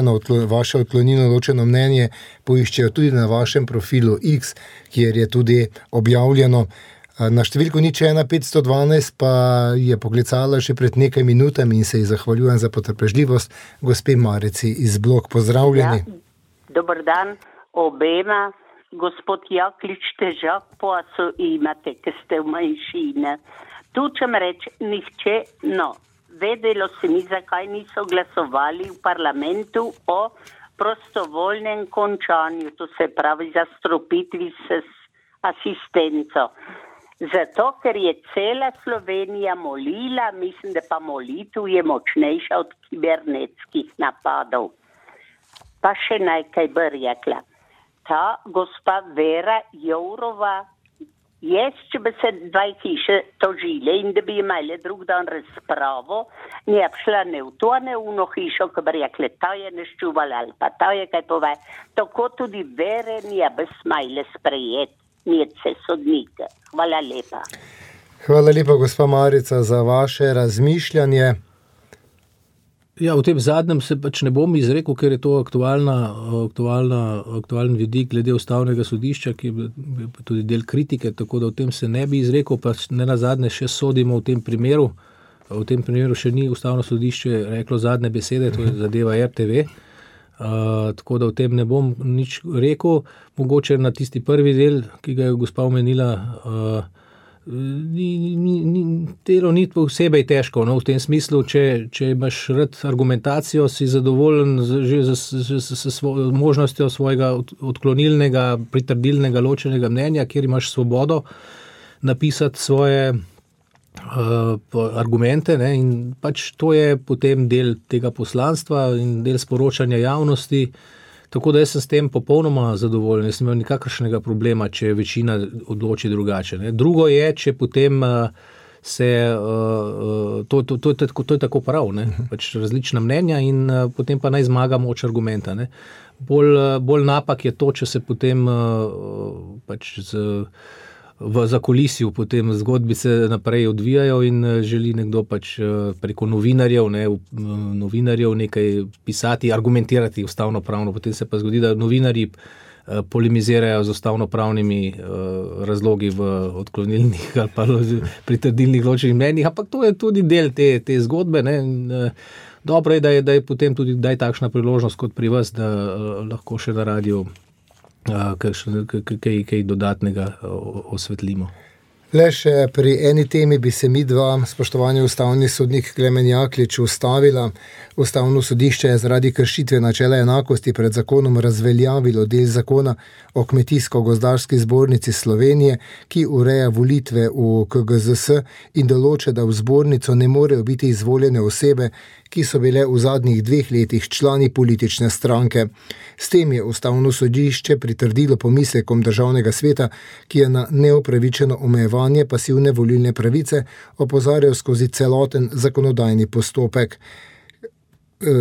[SPEAKER 2] vaše odklonilno ločeno mnenje poiščejo tudi na vašem profilu X, kjer je tudi objavljeno. Na številko nič ena petsto dvanajst pa je poklicala še pred nekaj minutami in se ji zahvaljujem za potrpežljivost. Gospe Marici iz Blok, pozdravljeni.
[SPEAKER 5] Ja, dober dan obema. Gospod Jaklič, težak posel imate, ker ste v manjšini. Tu čem reči, nihče, no. Vedelo se mi, zakaj niso glasovali v parlamentu o prostovoljnem končanju, to se pravi za stropitvi s asistenco. Zato, ker je cela Slovenija molila, mislim, da pa molitev je močnejša od kibernetskih napadov. Pa še nekaj bi rekla. Ta gospa Vera Jourova, jaz, če bi se dva hiše tožile in da bi imeli drug dan razpravo, ne bi šla ne v to, ne v ono hišo, ko bi rekli, ta je neščuvala ali pa ta je kaj pove. Tako tudi Vere ne bi smajle sprejeti, nije se sodnike. Hvala lepa.
[SPEAKER 2] Hvala lepa, gospa Marica, za vaše razmišljanje.
[SPEAKER 3] Ja, v tem zadnjem se pač ne bom izrekel, ker je to aktualna, aktualna, aktualen vidik glede ustavnega sodišča, ki je tudi del kritike, tako da v tem se ne bi izrekel, pa ne nazadnje še sodimo v tem primeru. V tem primeru še ni ustavno sodišče reklo zadnje besede, to je zadeva R T V, uh, tako da v tem ne bom nič rekel. Mogoče na tisti prvi del, ki ga je gospa omenila, uh, Ni, ni, ni, telo ni posebej težko, no, v tem smislu, če, če imaš rad argumentacijo, si zadovoljen že s svo, možnostjo svojega odklonilnega, pritrdilnega, ločenega mnenja, kjer imaš svobodo napisati svoje uh, argumente, ne, in pač to je potem del tega poslanstva in del sporočanja javnosti. Tako da jaz sem s tem popolnoma zadovoljen, jaz sem imel nikakršnega problema, če večina odloči drugače. Ne. Drugo je, če potem se, to, to, to, to, to je tako prav, ne. Pač različna mnenja in potem pa naj zmaga moč argumenta. Ne. Bolj, bolj napak je to, če se potem pač z, v zakulisju potem zgodbice naprej odvijajo in želi nekdo pač preko novinarjev, ne, novinarjev nekaj pisati, argumentirati ustavno-pravno. Potem se pa zgodi, da novinarji polemizirajo z ustavno-pravnimi razlogi v odklonilnih ali pa pritrdilnih ločenih mnenjih, ampak to je tudi del te, te zgodbe. Ne. Dobro je, da je, da je potem tudi daj takšna priložnost kot pri vas, da lahko še na radiju kaj, kaj dodatnega osvetlimo.
[SPEAKER 2] Le še pri eni temi bi se mi dva, spoštovani ustavni sodnik Klemen Jaklič, ustavila. Ustavno sodišče je zaradi kršitve načela enakosti pred zakonom razveljavilo del zakona o Kmetijsko-gozdarski zbornici Slovenije, ki ureja volitve v K G Z S in določa, da v zbornico ne morejo biti izvoljene osebe, ki so bile v zadnjih dveh letih člani politične stranke. S tem je ustavno sodišče pritrdilo pomislekom državnega sveta, ki je na neopravičeno omejevanje pasivne volilne pravice opozarjal skozi celoten zakonodajni postopek.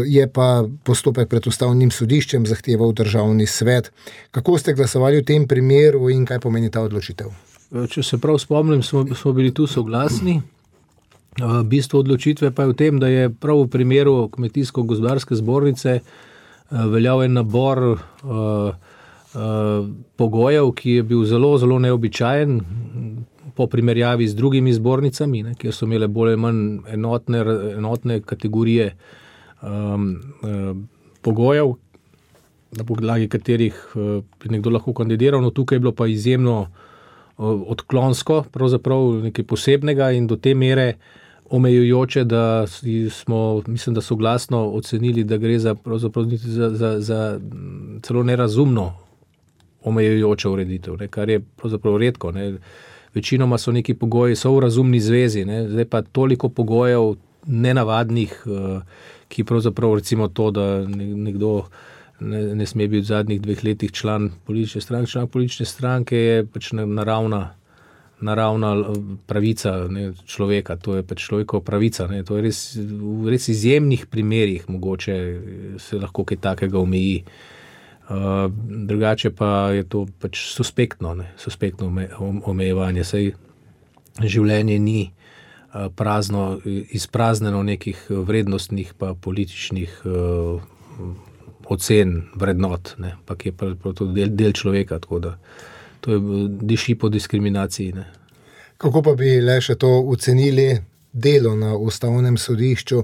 [SPEAKER 2] Je pa postopek pred ustavnim sodiščem zahteval državni svet. Kako ste glasovali v tem primeru in kaj pomeni ta odločitev?
[SPEAKER 3] Če se prav spomnim, smo, smo bili tu soglasni. Bistvo odločitve pa je v tem, da je prav v primeru Kmetijsko-gozdarske zbornice veljal en nabor uh, uh, pogojev, ki je bil zelo, zelo neobičajen po primerjavi z drugimi zbornicami, ne, kjer so imele bolj ali manj enotne, enotne kategorije um, uh, pogojev, na podlagi katerih uh, bi nekdo lahko kandidiral. No, tukaj je bilo pa izjemno uh, odklonsko, pravzaprav nekaj posebnega in do te mere omejujoče, da smo, mislim, da soglasno ocenili, da gre za, pravzaprav za, za, za celo nerazumno omejujočo ureditev, ne, kar je pravzaprav redko. Ne. Večinoma so neki pogoji, so v razumni zvezi, ne. Zdaj pa toliko pogojev nenavadnih, ki pravzaprav recimo to, da nekdo ne, ne sme biti v zadnjih dveh letih član politične stranke, član politične stranke je pač naravna naravna pravica, ne, človeka, to je pač človekova pravica. Ne, to je res, v res izjemnih primerih mogoče se lahko kaj takega omeji. Uh, drugače pa je to pač suspektno, ne, suspektno omejevanje. Saj življenje ni uh, prazno, izprazneno nekih vrednostnih pa političnih uh, ocen, vrednot, ne, ampak je pa to del, del človeka, tako da to je diši po diskriminaciji. Ne.
[SPEAKER 2] Kako pa bi le še to ocenili delo na ustavnem sodišču?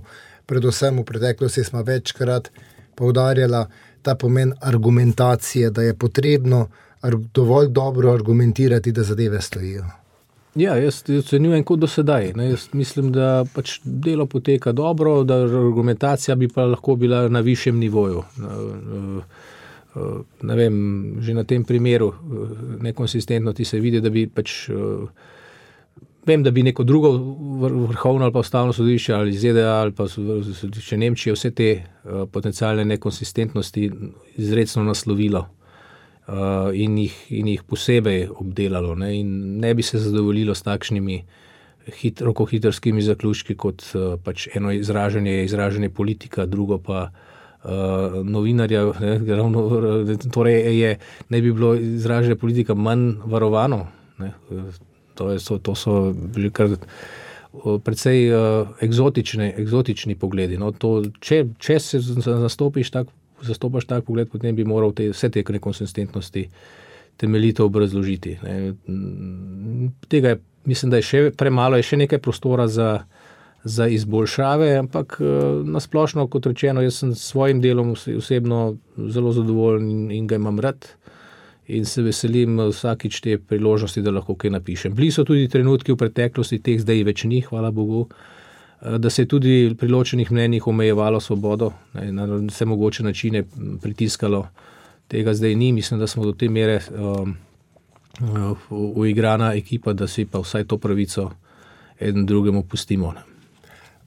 [SPEAKER 2] Predvsem v preteklosti smo večkrat poudarjala ta pomen argumentacije, da je potrebno dovolj dobro argumentirati, da zadeve stojijo.
[SPEAKER 3] Ja, jaz ocenjujem kot do sedaj. Ne. Jaz mislim, da pač delo poteka dobro, da argumentacija bi pa lahko bila na višjem nivoju. Ne vem, že na tem primeru nekonsistentnosti se vidi, da bi pač vem, da bi neko drugo vrhovno ali pa ustavno sodišče ali Z D A ali pa sodišče Nemčije vse te uh, potencialne nekonsistentnosti izrecno naslovilo uh, in, jih, in jih posebej obdelalo, ne, in ne bi se zadovoljilo s takšnimi hit, rokohitrskimi zaključki, kot uh, pač eno izražanje je izražanje politika, drugo pa uh, novinarja, ne, ravno, torej je, ne bi bilo izražanje politika manj varovano, ne. To, je, to so bili kar precej uh, eksotični, eksotični pogledi. No, to, če, če se zastopiš tak, zastopaš tak pogled, potem bi moral te, vse te nekonsistentnosti temeljito obrazložiti. Ne. Tega je, mislim, da je še premalo, je še nekaj prostora za, za izboljšave, ampak uh, nasplošno, kot rečeno, jaz sem s svojim delom osebno zelo zadovoljen in, in ga imam rad. In se veselim vsakič te priložnosti, da lahko kaj napišem. Bili so tudi trenutki v preteklosti, teh zdaj več ni, hvala Bogu, da se je tudi pri ločenih mnenjih omejevalo svobodo, na vse mogoče načine pritiskalo. Tega zdaj ni, mislim, da smo do te mere um, uigrana ekipa, da si pa vsaj to pravico eden drugemu pustimo.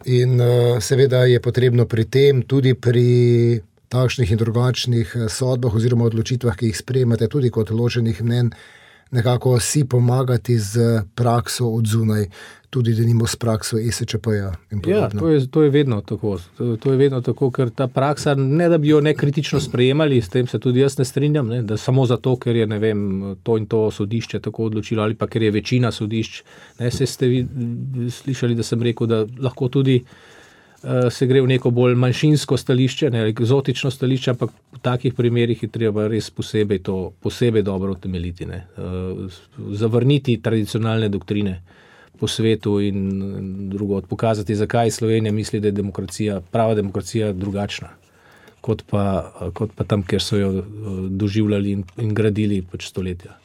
[SPEAKER 2] In uh, seveda je potrebno pri tem tudi pri takšnih in drugačnih sodbah oziroma odločitvah, ki jih sprejemate tudi kot ločenih mnenj, nekako si pomagati z prakso od zunaj, tudi denimo s prakso E S Č P-ja in podobno.
[SPEAKER 3] Ja, to je, to je vedno tako. To, to je vedno tako, ker ta praksa, ne da bi jo nekritično sprejemali, s tem se tudi jaz ne strinjam, ne, da samo zato, ker je, ne vem, to in to sodišče tako odločilo, ali pa ker je večina sodišč. Ne, se ste vi slišali, da sem rekel, da lahko tudi se gre v neko bolj manjšinsko stališče, ne, eksotično stališče, ampak v takih primerih je treba res posebej to, posebej dobro utemeljiti, ne. Zavrniti tradicionalne doktrine po svetu in drugo, pokazati, zakaj Slovenija misli, da je demokracija, prava demokracija drugačna, kot pa, kot pa tam, kjer so jo doživljali in, in gradili pač stoletja.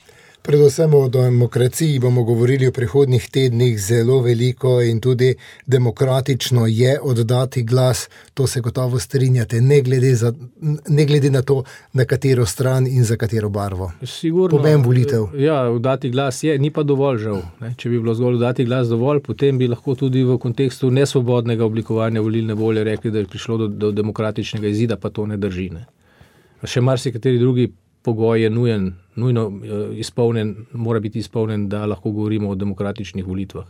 [SPEAKER 2] Predvsem o demokraciji bomo govorili v prihodnjih tednih zelo veliko in tudi demokratično je oddati glas, to se gotovo strinjate, ne glede, za, ne glede na to, na katero stran in za katero barvo.
[SPEAKER 3] Sigurno,
[SPEAKER 2] pomen volitev.
[SPEAKER 3] Ja, oddati glas je, ni pa dovolj žal. Ne? Če bi bilo zgolj oddati glas dovolj, potem bi lahko tudi v kontekstu nesvobodnega oblikovanja volilne volje rekli, da je prišlo do, do demokratičnega izida, pa to ne drži. Ne? Še marsikateri drugi pogoj je nujen, nujno izpolnjen, mora biti izpolnjen, da lahko govorimo o demokratičnih volitvah.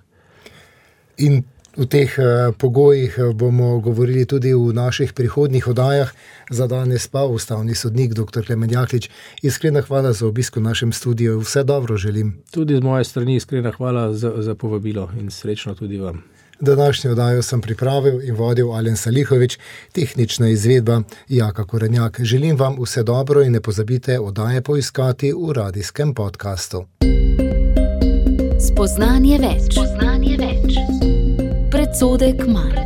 [SPEAKER 2] In v teh pogojih bomo govorili tudi v naših prihodnjih oddajah. Za danes pa ustavni sodnik doktor Klemen Jaklič. Iskrena hvala za obisk v našem studiu. Vse dobro želim.
[SPEAKER 3] Tudi z moje strani iskrena hvala za, za povabilo in srečno tudi vam.
[SPEAKER 2] Današnjo oddajo sem pripravil in vodil Alen Salihovič, tehnična izvedba Jaka Korenjak. Želim vam vse dobro in ne pozabite oddaje poiskati v radijskem podkastu.
[SPEAKER 1] Spoznanje več. Spoznanje več. Predsodek manj.